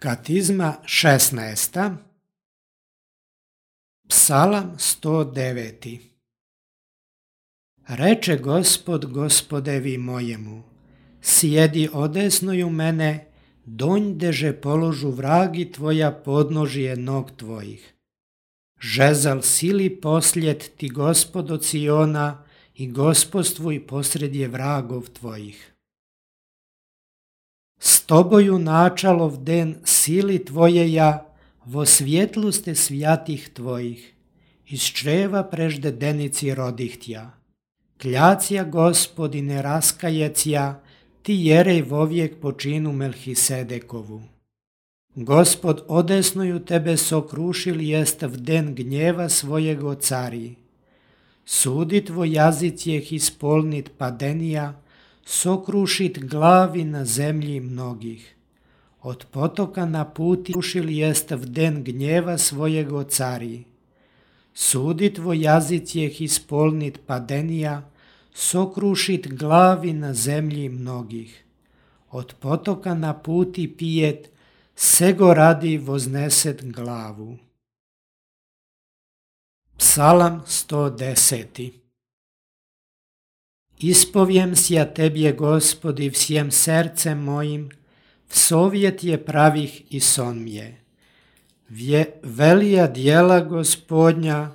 Katizma 16. Psalam 109. Reče Gospod Gospodevi mojemu, sjedi odesnoju mene, donjdeže položu vragi tvoja podnožje nog tvojih. Žezal sili posljed ti Gospod od Siona i gospodstvuj posredje vragov tvojih. S toboju načalov den sili tvojeja, vo svjetluste svjatih tvojih, iz čreva prežde denici rodihtja. Kljacija Gospodine raskajecija, ti jerej vovijek počinu Melhisedekovu. Gospod odesnuju tebe sokrušil jest v den gnjeva svojego cari. Sudi tvoj jazic jeh ispolnit padenija, sokrušit glavi na zemlji mnogih. Od potoka na puti rušil jest v den gnjeva svojego cari. Sudi tvoj jazic jeh ispolnit padenija, sokrušit glavi na zemlji mnogih. Od potoka na puti pijet, sego radi vozneset glavu. Psalam 110. Ispovjem sja tebje, Gospodi, vsjem sercem mojim, vsovjet je pravih i sonmje. Velija djela Gospodnja,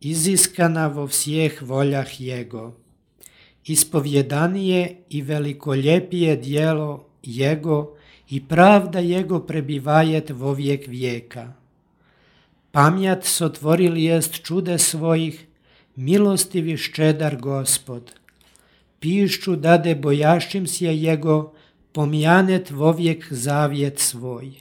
iziskana vo vsjeh voljah Jego. Ispovjedanije i velikoljepije djelo Jego i pravda Jego prebivajet vovijek vijeka. Pamjat sotvoril jest čude svojih, milostivi ščedar Gospod. Pišću dade bojašćim sje Jego, pomjanet vovijek zavjet svoj.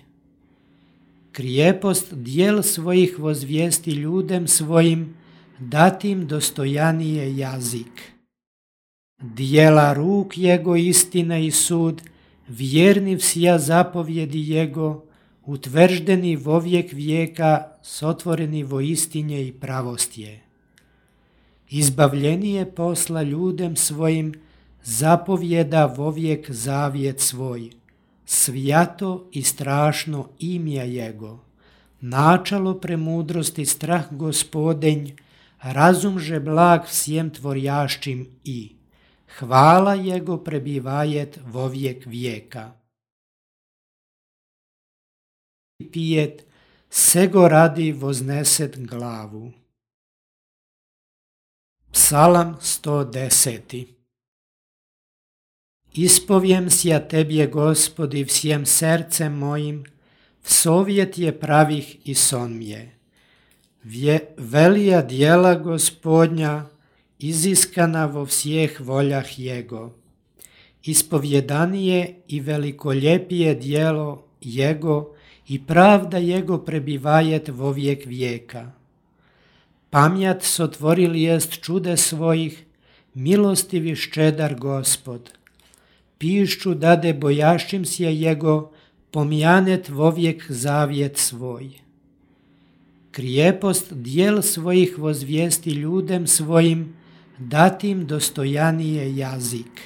Krijepost djel svojih vozvijesti ljudem svojim, datim dostojanije jazik. Djela ruk Jego istina i sud, vjerni vsja zapovjedi Jego, utvrđeni vovijek vijeka, sotvoreni vo istinje i pravostje. Izbavljenije posla ljudem svojim, zapovjeda vovijek zavjet svoj. Svijato i strašno imja Jego. Načalo premudrosti strah Gospodenj, razumže blag vsjem tvorjaščim i. Hvala Jego prebivajet vovijek vijeka. Pijet, sego radi vozneset glavu. Psalam 110. Ispovjem sja tebje, Gospodi, vsjem sercem mojim, vsovjet je pravih i sonmje. Velija djela Gospodnja, iziskana vo vsjeh voljah Jego. Ispovjedanije i velikoljepije djelo Jego i pravda Jego prebivajet vovijek vijeka. Pamjat sotvoril jest čude svojih, milostivi ščedar Gospod. Pišću dade bojašćim sje Jego, pomjanet vovijek zavjet svoj. Krijepost djel svojih vozvijesti ljudem svojim, datim dostojanije jazik.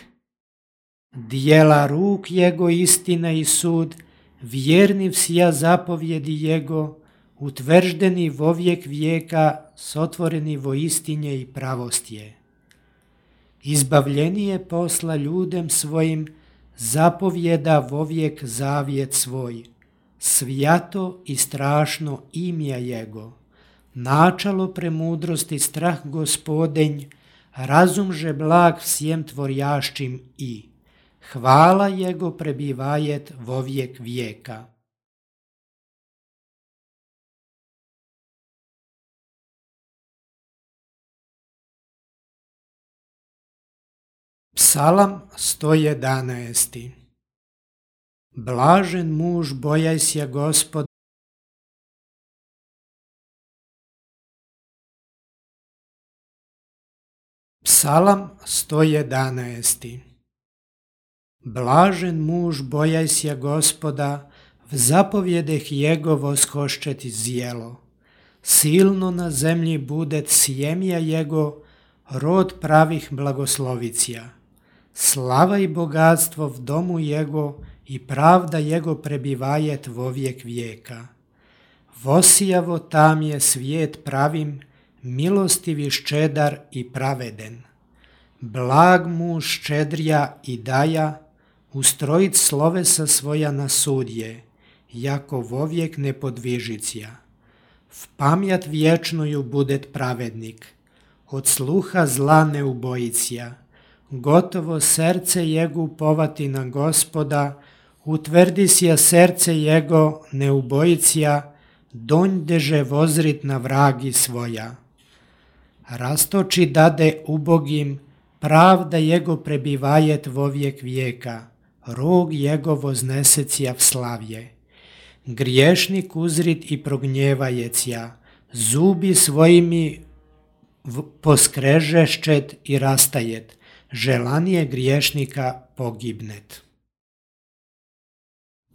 Djela ruk Jego istina i sud, vjerni vsja zapovjedi Jego, utvrđeni vovijek vijeka, sotvoreni vo istinje i pravostje. Izbavljenije posla ljudem svojim, zapovjeda vovijek zavjet svoj. Svijato i strašno imja Jego. Načalo premudrosti strah Gospodenj, razumže blag vsjem tvorjaščim i. Hvala Jego prebivajet vovijek vijeka. Psalam 111. Blažen muž bojajsja Gospoda. Psalam 111. Blažen muž bojajsja Gospoda, v zapovjedeh Jego voskoščeti zjelo. Silno na zemlji budet sjemja Jego, rod pravih blagoslovicija. Slava i bogatstvo v domu Jego i pravda Jego prebivajet vovijek vijeka. Vosijavo tam je svijet pravim, milostivi ščedar i praveden. Blag muž ščedrja i daja, ustrojit slovesa svoja na sudje, jako vovijek nepodvižicija. V pamjat vječnuju budet pravednik, od sluha zla ne ubojicija. Gotovo serce Jego upovati na Gospoda, utvrdi sja serce Jego ne ubojicija, donj deže vozrit na vragi svoja. Rastoči dade ubogim, pravda Jego prebivajet vovijek vijeka, rog Jego voznesecija v slavje. Griješnik uzrit i prognjevajecija, zubi svojimi poskrežeščet i rastajet, želanije griješnika pogibnet.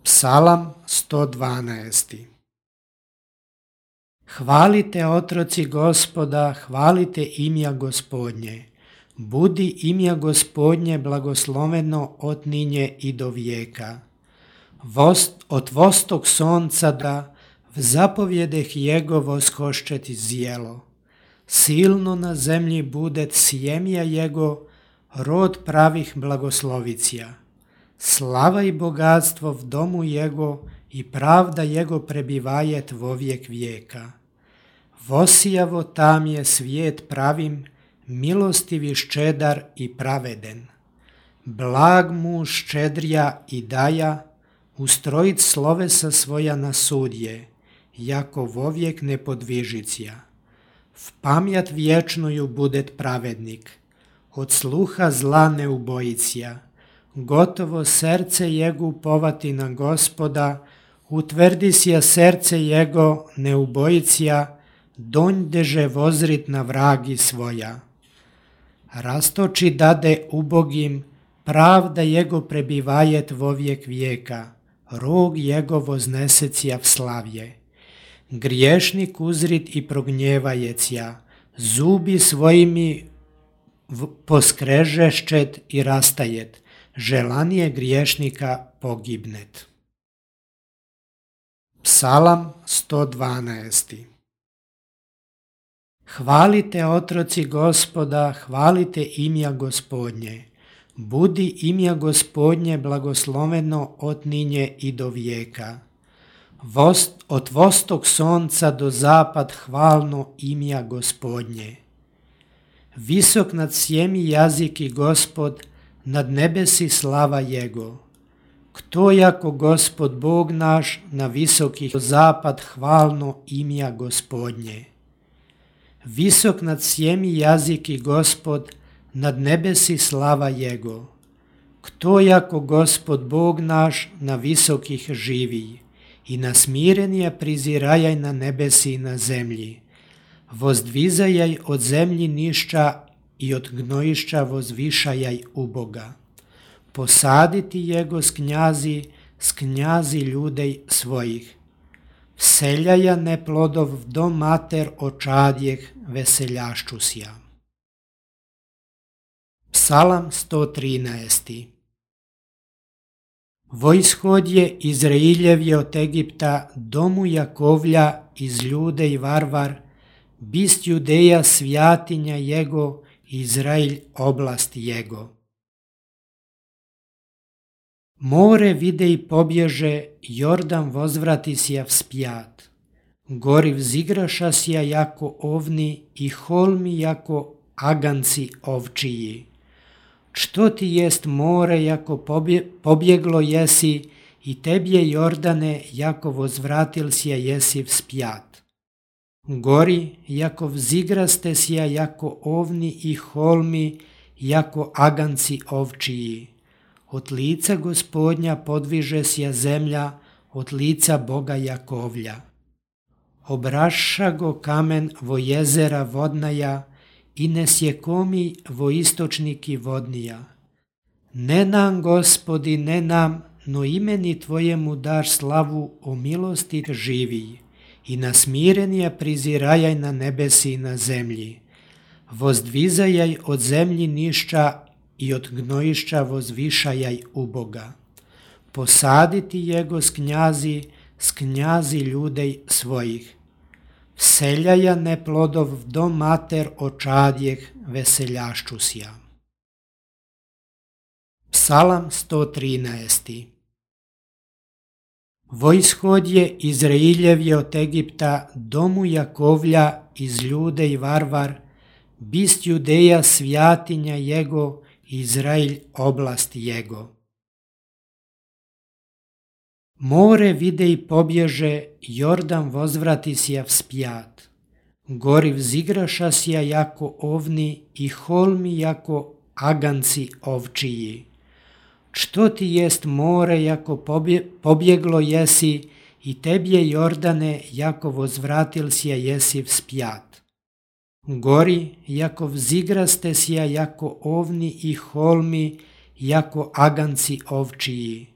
Psalam 112. Hvalite otroci Gospoda, hvalite imja Gospodnje. Budi imja Gospodnje blagosloveno od ninje i do vijeka. Od vostok sonca da v zapovjedeh Jego voskoščeti zjelo. Silno na zemlji budet sjemja Jego, rod pravih blagoslovicija. Slava i bogatstvo v domu Jego i pravda Jego prebivajet vovijek vijeka. Vosijavo tam je svijet pravim, milostivi ščedar i praveden. Blag muž ščedrja i daja, ustrojit slovesa svoja na sudje, jako vovijek nepodvižicija. V pamjat vječnuju budet pravednik, od sluha zla ne ubojicija. Gotovo serce Jego upovati na Gospoda, utvrdi sja serce Jego ne ubojicija, donj deže vozrit na vragi svoja. Rastoči dade ubogim, pravda Jego prebivajet vovijek vijeka, rog Jego voznesecija v slavje. Griješnik uzrit i prognjevajecija, zubi svojimi poskrežeščet i rastajet, želanije griješnika pogibnet. Psalam 112. Hvalite otroci Gospoda, hvalite imja Gospodnje. Budi imja Gospodnje blagosloveno od ninje i do vijeka. Od vostok sonca do zapad hvalno imja Gospodnje. Visok nad sjemi jaziki Gospod, nad nebesi slava Jego. Kto jako Gospod Bog naš, na visokih zapad hvalno imja Gospodnje. Visok nad sjemi jaziki Gospod, nad nebesi slava Jego. Kto jako Gospod Bog naš, na visokih živi, i na smirenje prizirajaj na nebesi i na zemlji. Vozdvizajaj od zemlji nišća i od gnojišća vozvišajaj u Boga. Posaditi Jego s knjazi ljudej svojih. Vseljaja ne plodov v dom mater očadjeh veseljaščusja. Psalam 113. Vojshodje Izrailjev od Egipta, domu Jakovlja iz ljude i varvar, bist Judeja svjatinja Jego, Izrail oblast Jego. More vide i pobježe, Jordan vozvrati sja vspjat. Gori vzigraša sja jako ovni i holmi jako aganci ovčiji. Što ti jest more, jako pobjeglo jesi, i tebje Jordane, jako vozvratil sja jesi vspjat. Gori, jako vzigraste sja jako ovni i holmi, jako aganci ovčiji. Od lica Gospodnja podviže sja zemlja, od lica Boga Jakovlja. Obraša go kamen vo jezera vodnaja, i ne sjekomi vo istočniki vodnija. Ne nam, Gospodi, ne nam, no imeni Tvojemu daš slavu o milosti živi, i na smirenje prizirajaj na nebesi i na zemlji. Vozdvizajaj od zemlji nišća i od gnojišća vozvišajaj u Boga. posaditi jego s knjazi ljudej svojih. Vseljaja ne plodov do mater očadjeh veseljaščusja. Psalam 113. Vojshodje Izrailjev od Egipta domu Jakovlja iz ljudej varvar, bist Judeja svjatinja jego, Izrail oblast jego. More vide i pobježe, Jordan vozvrati sja vspjat. Gori vzigraša sja jako ovni i holmi jako aganci ovčiji. Što ti jest more, jako pobjeglo jesi, i tebje Jordane, jako vozvratil sja jesi vspjat. Gori, jako vzigraste sja jako ovni i holmi, jako aganci ovčiji.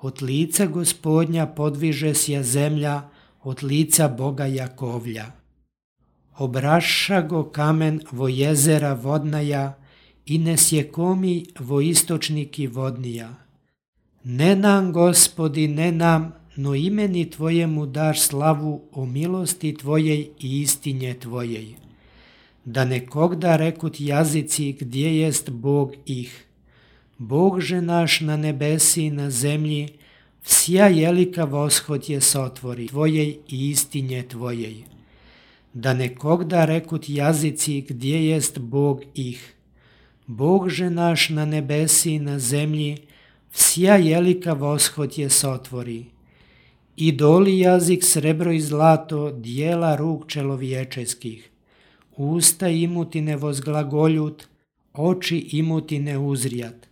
Od lica Gospodnja podviže sja zemlja, od lica Boga Jakovlja. Obraša go kamen vo jezera vodnaja, i ne sjekomi vo istočniki vodnija. Ne nam, Gospodi, ne nam, no imeni Tvojemu daš slavu o milosti Tvojej i istinje Tvojej. Da nekogda rekut jazici gdje jest Bog ih. Bogže naš na nebesi i na zemlji, vsja jelika voshod je sotvori Tvojej i istinje Tvojej. Da nekogda rekut jazici gdje jest Bog ih. Bogže naš na nebesi i na zemlji, vsja jelika voshod je sotvori. Idoli jazik srebro i zlato, dijela ruk čelovječeskih. Usta imuti ne vozglagoljut, oči imuti ne uzrijat,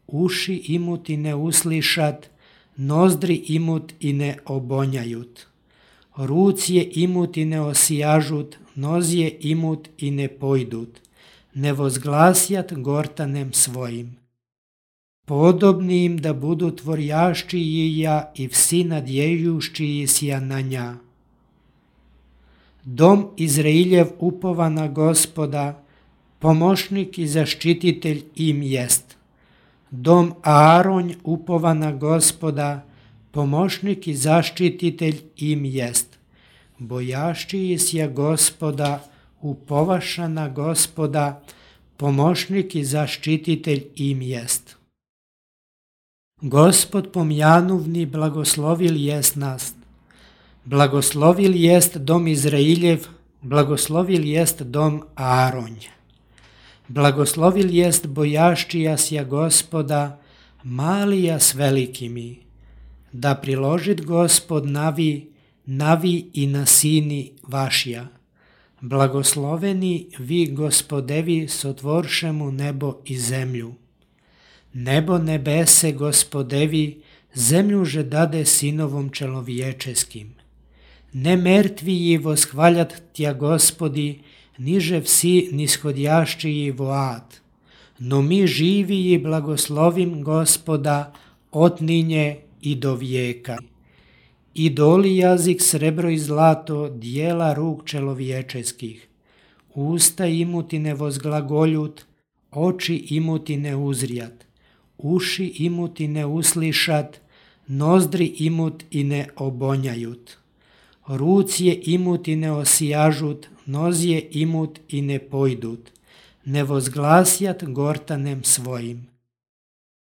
uši imuti ne uslišat, nozdri imut i ne obonjajut. Rucije imuti ne osijažut, nozje imut i ne pojdut, ne vozglasjat gortanem svojim. Podobni im da budu tvorjaščijija i vsi nadjejuščiji sja na nja. Dom Izrailjev upova na Gospoda, pomošnik i zaštititelj im jest. Dom Aaronj upova na Gospoda, pomošnik i zaštititelj im jest. Bojaščiji sja Gospoda, upovaša na Gospoda, pomošnik i zaštititelj im jest. Gospod pomjanuvni blagoslovil jest nas. Blagoslovil jest dom Izrailjev, blagoslovil jest dom Aaronj. Blagoslovil jest bojaščija sja Gospoda, malija s velikimi. Da priložit Gospod navi i na sini vašja. Blagosloveni vi Gospodevi sotvoršemu nebo i zemlju. Nebo nebese Gospodevi, zemlju že dade sinovom čelovječeskim. Ne mrtviji voshvaljat tja Gospodi, niže vsi nishodjaščiji vo ad. No mi živiji blagoslovim Gospoda otninje i do vijeka. Idoli jazik srebro i zlato, dijela ruk čelovječeskih. Usta imuti ne vozglagoljut, oči imuti ne uzrijat, uši imuti ne uslišat, nozdri imut i ne obonjajut. Rucije imuti ne osijažut, nozje imut i ne pojdut, ne vozglasjat gortanem svojim.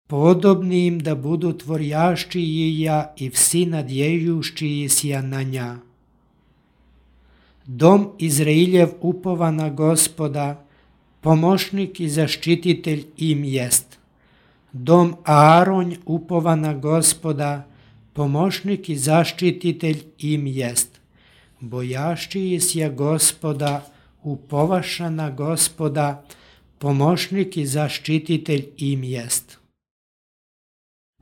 Podobni im da budu tvorjaščijija i vsi nadjejuščiji sja na nja. Dom Izrailjev upova na Gospoda, pomošnik i zaštititelj im jest. Dom Aaronj upova na Gospoda, pomošnik i zaštititelj im jest. Bojaščiji sja Gospoda, upovaša na Gospoda, pomošnik i zaštititelj im jest.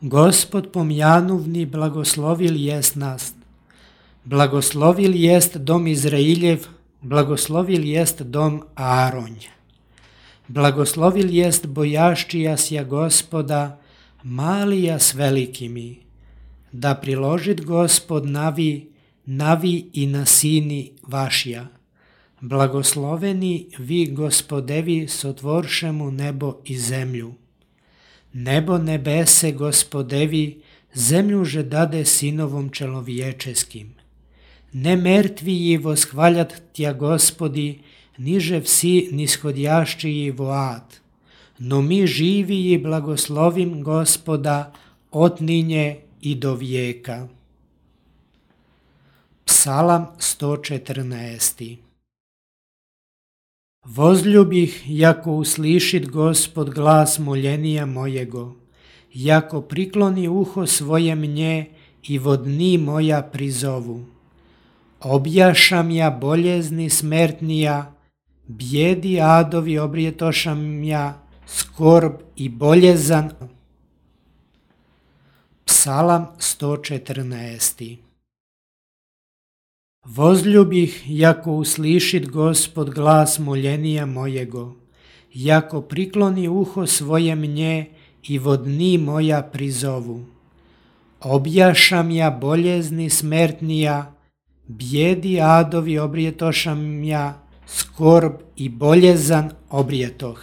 Gospod pomjanuvni blagoslovil jest nas. Blagoslovil jest dom Izrailjev, blagoslovil jest dom Aaronj. Blagoslovil jest bojaščija sja Gospoda, malija s velikimi. Da priložit Gospod navi i na sini vašja. Blagosloveni vi Gospodevi sotvoršemu nebo i zemlju. Nebo nebese Gospodevi, zemlju že dade sinovom čelovječeskim. Ne mrtviji voshvaljat tja Gospodi, niže vsi nishodjaščiji vo ad. No mi živiji blagoslovim Gospoda od ninje i do vijeka. Psalam 114. Vozljubih, jako uslišit Gospod glas moljenija mojego, jako prikloni uho svoje mnje i vodni moja prizovu. Objašam ja boljezni smertnija, bijedi adovi obrijetošam ja, skorb i boljezan. Psalam 114. Vozljubih, jako uslišit Gospod glas moljenija mojego, jako prikloni uho svoje mnje i vodni moja prizovu. Objašam ja boljezni smertnija, bijedi adovi obrijetošam ja, skorb i boljezan obrijetoh.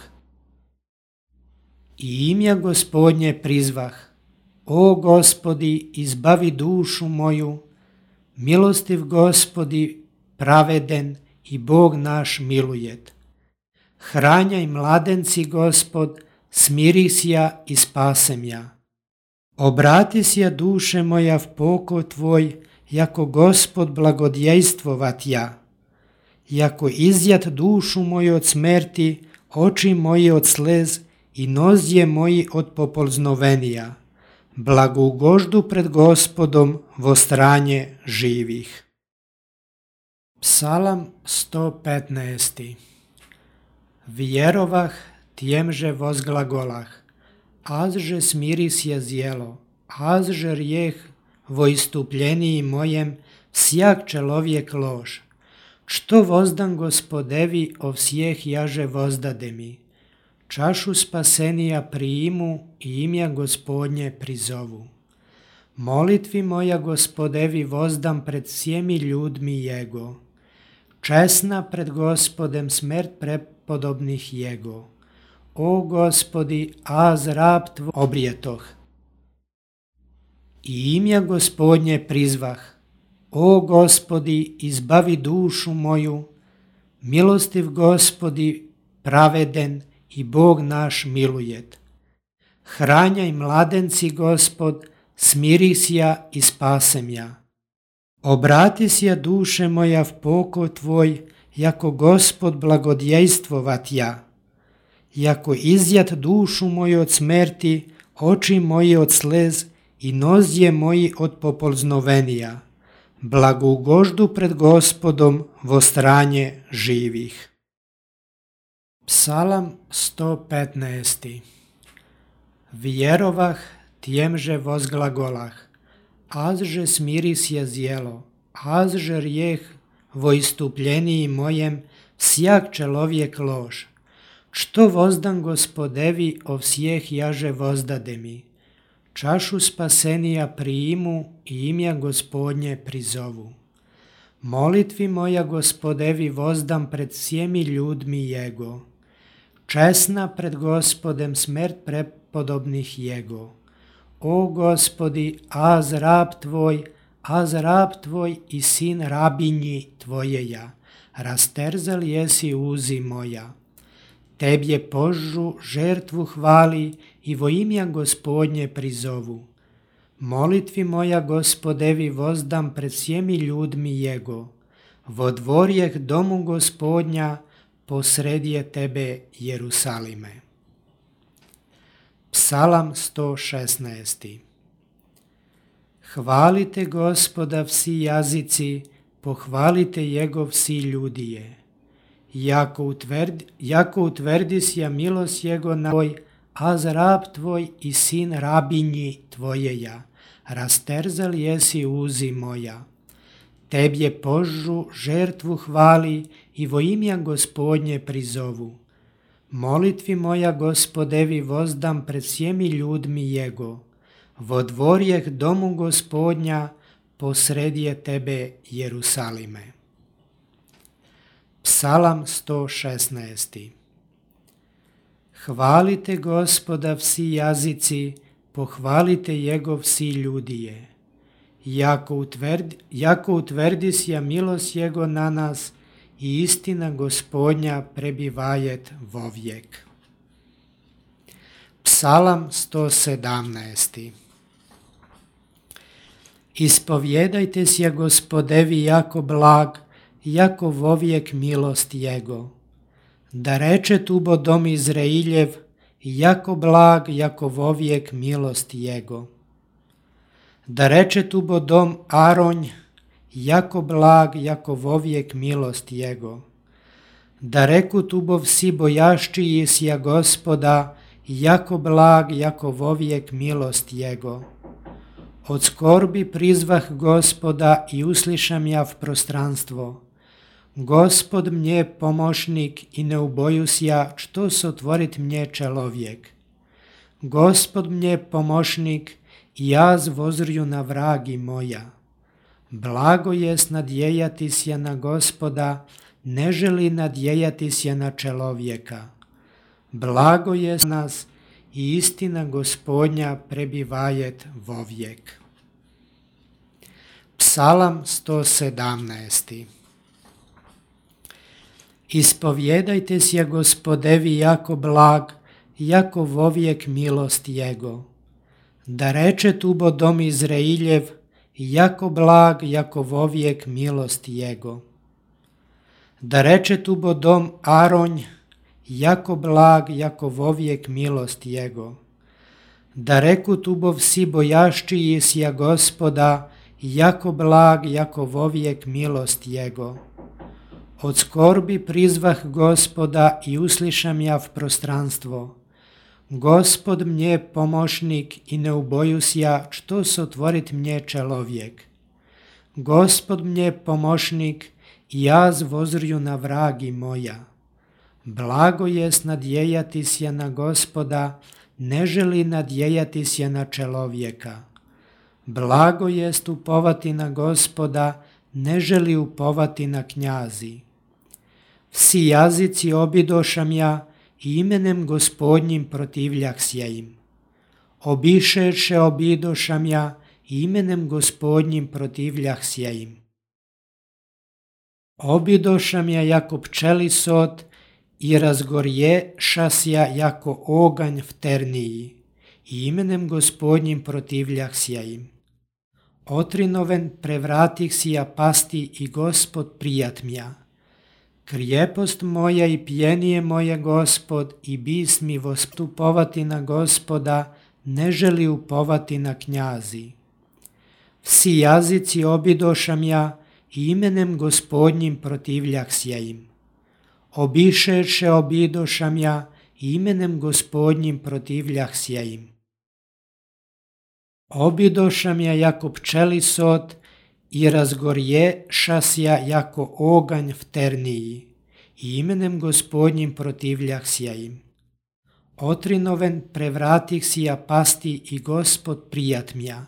I imja Gospodnje prizvah, o Gospodi, izbavi dušu moju, milostiv Gospodi, praveden i Bog naš milujet. Hranjaj mladenci Gospod, smirisja i spasem Obratisja duše moja v poko tvoj, jako Gospod blagodjejstvovat ja. Jako izjat dušu moju od smrti, oči moji od slez i nozdje moji od popolznovenija. Blagougoždu pred Gospodom vo stranje živih. Psalam 115. Vjerovah, tjemže vozglagolah, azže smirisje zjelo, azže rijeh vo istupljeniji mojem, всяк человек lož. Što vozdan Gospodevi, o всех jaže vozdade mi. Čašu spasenija prijimu i imja Gospodnje prizovu. Molitvi moja Gospodevi vozdam pred sjemi ljudmi Jego. Česna pred Gospodem smrt prepodobnih Jego. O Gospodi, az rab tvoj obrijetoh. I imja Gospodnje prizvah, o Gospodi, izbavi dušu moju, milostiv Gospodi, praveden i Bog naš milujet. Hranjaj mladenci Gospod, smirisja i spasem ja. Obratisja duše moja v poko tvoj, jako Gospod blagodjejstvovat ja. Jako izjat dušu moju od smrti, oči moji od slez i nozdje moji od popolznovenija. Blagougoždu pred Gospodom vo stranje živih. Psalam 115. Vjerovah, tjemže vozglagolah, azže smirisje zjelo, azže rijeh vo istupljeniji mojem, всяк человек lož. Što vozdan Gospodevi, o всех jaže vozdade mi. Čašu spasenija prijimu i imja Gospodnje prizovu. Molitvi moja Gospodevi vozdam pred sjemi ljudmi Jego. Česna pred Gospodem smrt prepodobnih Jego. O Gospodi, az rab tvoj i sin rabinji tvojeja, rasterzal jesi uzi moja. Tebje požu žertvu hvali i vo imja Gospodnje prizovu. Molitvi moja Gospodevi vozdam pred sjemi ljudmi Jego. Vo dvorjeh domu Gospodnja, posredje tebe Jerusalime. Psalam 116. Hvalite Gospoda vsi jazici, pohvalite Jego vsi ljudije. Jako utvrdisja milost Jego na tvoj, az rab tvoj i sin rabinji tvojeja, rasterzal jesi uzi moja. Tebje požu žertvu hvali i vo imja Gospodnje prizovu. Molitvi moja Gospodevi vozdam pred sjemi ljudmi Jego. Vo dvorjeh domu Gospodnja, posredje tebe Jerusalime. Psalam 116. Hvalite Gospoda vsi jazici, pohvalite Jegov si ljudije. Jako utvrdisja milost Jego na nas i istina Gospodnja prebivajet vovijek. Psalam 117. Ispovjedajte sje Gospodevi jako blag, jako vovijek milost Jego. Da reče tubo dom Izrailjev, jako blag, jako vovijek milost Jego. Da reče tubo dom Aronj, jako blag, jako vovijek milost Jego. Da reku tubo vsi bojaščiji sja Gospoda, jako blag, jako vovijek milost Jego. Od skorbi prizvah Gospoda i uslišam ja v prostranstvo. Gospod mnje pomošnik i ne ubojus ja, što sotvorit mnje čelovjek. Gospod mnje pomošnik i jaz vozrju na vragi moja. Blago jest nadjejati sja na Gospoda, ne želi nadjejati sja na čelovjeka. Blago jest nas i istina Gospodnja prebivajet vovijek. Psalam 117. Ispovjedajte sje Gospodevi jako blag, jako vovijek milost Jego. Da reče tubo dom Izrailjev, jako blag, jako vovijek milost Jego. Da reče tubo dom Aronj, jako blag, jako vovijek milost Jego. Da reku tubo vsi bojaščiji sja Gospoda, jako blag, jako vovijek milost Jego. Od skorbi prizvah Gospoda i uslišam ja v prostranstvo. Gospod mnje pomošnik i ne ubojus ja, što sotvorit mnje čelovjek. Gospod mnje pomošnik i jaz vozrju na vragi moja. Blago jest nadjejati sja na Gospoda, ne želi nadjejati sja na čelovjeka. Blago jest upovati na Gospoda, ne želi upovati na knjazi. Vsi jazici obidošam ja i imenem Gospodnjim protivljah sja im. Obišeše obidošam ja i imenem Gospodnjim protivljah sja im. Obidošam ja jako pčeli sot i razgorješa sja jako oganj v terniji i imenem Gospodnjim protivljah sja im. Otrinoven prevratih sja pasti i Gospod prijat mja. Krijepost moja i pjenije moje Gospod i bis mi vostupovati na Gospoda, ne želi upovati na knjazi. Vsi jazici obidošam ja i imenem Gospodnjim protivljah sja im. Obišeše obidošam ja i imenem Gospodnjim protivljah sja im. Obidošam ja jako pčeli sot i razgorješa sja jako oganj v terniji i imenem Gospodnjim protivljah sja im. Otrinoven prevratih sja pasti i Gospod prijat mja.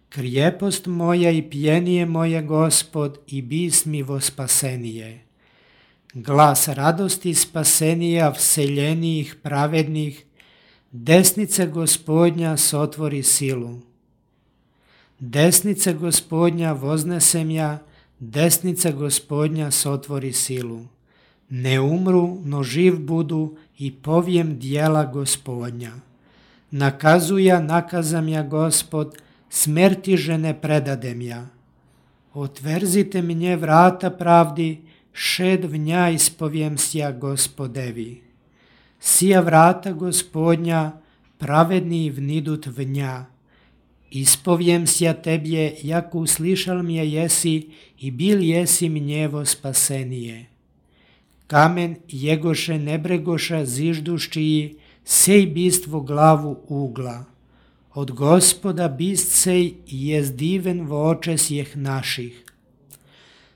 Krijepost moja i pjenije moje Gospod i bis mi vospasenije. Glas radosti spasenija vseljenijih pravednih, desnice Gospodnja sotvori silu. Desnice Gospodnja voznesem ja, desnice Gospodnja sotvori silu. Ne umru, no živ budu i povijem dijela Gospodnja. Nakazuja, nakazam ja Gospod, smrti žene predadem ja. Otverzite mnje vrata pravdi, šed v nja ispovijem sja Gospodevi. Sija vrata Gospodnja, pravedni vnidut v nja. Ispovijem sja tebje, jako uslišal mje jesi i bil jesi mnjevo spasenije. Kamen jegoše nebregoša zižduščiji, sej bistvo glavu ugla. Od Gospoda bist sej jest diven v oče sjeh naših.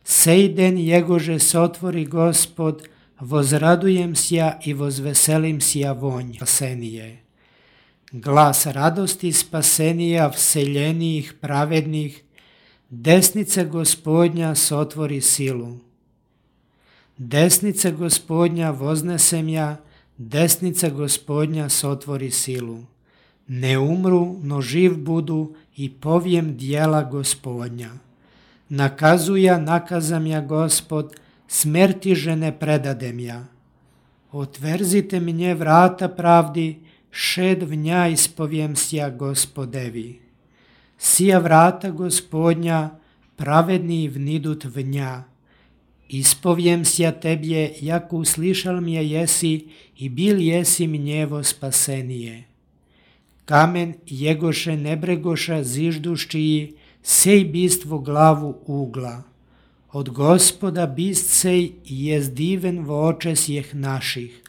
Sej den jegože sotvori Gospod, vozradujem sja i vozveselim sja vonj spasenije. Glas radosti spasenija vseljenijih pravednih, desnice Gospodnja sotvori silu. Desnice Gospodnja voznesem ja, desnice Gospodnja sotvori silu. Ne umru, no živ budu i povijem dijela Gospodnja. Nakazuja, nakazam ja Gospod, smrti žene predadem ja. Otverzite mnie vrata pravdi, šed vnja ispovijem sja Gospodevi. Sija vrata Gospodnja, pravedni vnidut vnja. Ispovijem sja tebje, jako uslišal mje jesi i bil jesi mnjevo spasenije. Kamen jegoše nebregoša zižduščiji, sej bistvo glavu ugla. Od Gospoda bist sej jest diven v oče sjeh naših.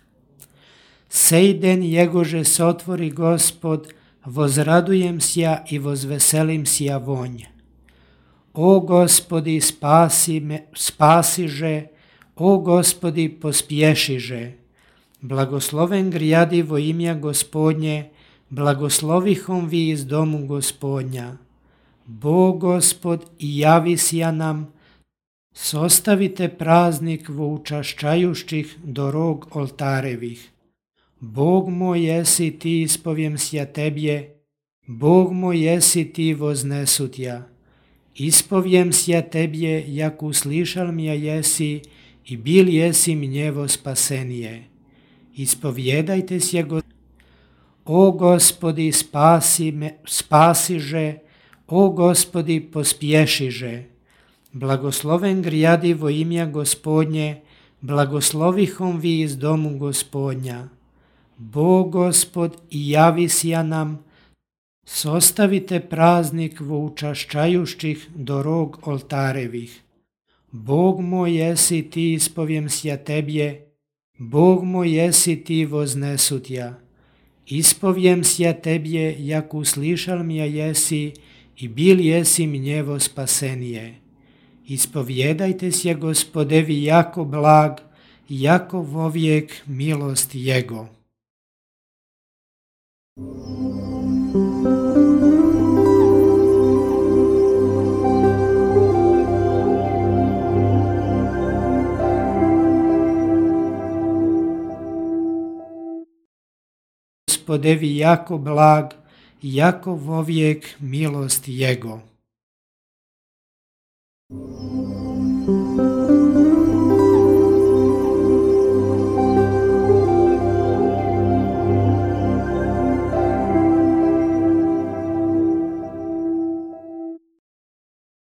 Sej den jegože sotvori Gospod, vozradujem sja i vozveselim sja vonj. O Gospodi, spasiže, o Gospodi, pospješiže. Blagosloven grijadi vo imja Gospodnje, blagoslovihom vi iz domu Gospodnja. Bog Gospod i javi sja nam, sostavite praznik vo učašćajušćih do rog oltarevih. Bog moj jesi ti, ispovijem sja tebje, Bog moj jesi ti, voznesut ja. Ispovijem sja tebje, jak uslišal mja jesi i bil jesi mnjevo spasenije. Ispovjedajte sja O Gospodi, spasiže, o Gospodi, pospješiže. Blagosloven grijadi vo imja Gospodnje, blagoslovihom vi iz domu Gospodnja. Bog Gospod i javi sja nam, sostavite praznik vo učašćajušćih do rog oltarevih. Bog moj jesi ti, ispovijem sja tebje, Bog moj jesi ti, voznesut ja. Ispovijem sja tebje, jak uslišal mja jesi i bil jesi mnjevo spasenije. Ispovjedajte sja Gospodevi jako blag, jako vovijek milost Jego. Gospodevi jako blag, jako vovijek milost Jego.